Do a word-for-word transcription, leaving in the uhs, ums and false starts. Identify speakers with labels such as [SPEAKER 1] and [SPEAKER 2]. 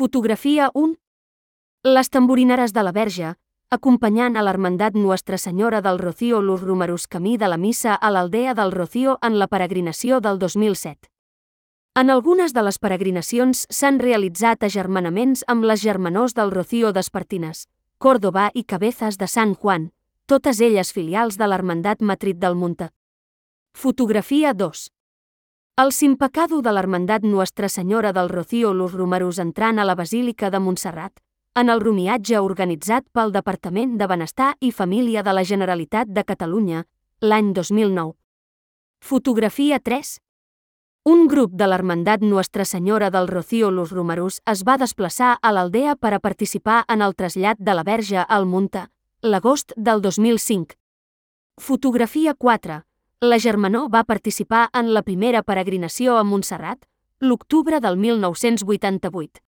[SPEAKER 1] Fotografia un. Les tamborineres de la Verge, acompanyant a l'Hermandat Nuestra Senyora del Rocío los Romeros camí de la missa a l'aldea del Rocío en la peregrinació del dos mil set. En algunes de les peregrinacions s'han realitzat agermanaments amb les germanors del Rocío d'Espartines, Córdoba i Cabezas de Sant Juan, totes elles filials de l'Hermandat Matrit del Munta. Fotografia dos. El simpecado de l'Hermandat Nuestra Senyora del Rocío los Romeros entrant a la Basílica de Montserrat, en el romiatge organitzat pel Departament de Benestar i Família de la Generalitat de Catalunya, l'any dos mil nou. Fotografia tres. Un grup de l'Hermandat Nuestra Senyora del Rocío los Romeros es va desplaçar a l'aldea per a participar en el trasllat de la Verge al Munta, l'agost del dos mil cinc. Fotografia quatre. La germanor va participar en la primera peregrinació a Montserrat, l'octubre del mil nou-cents vuitanta-vuit.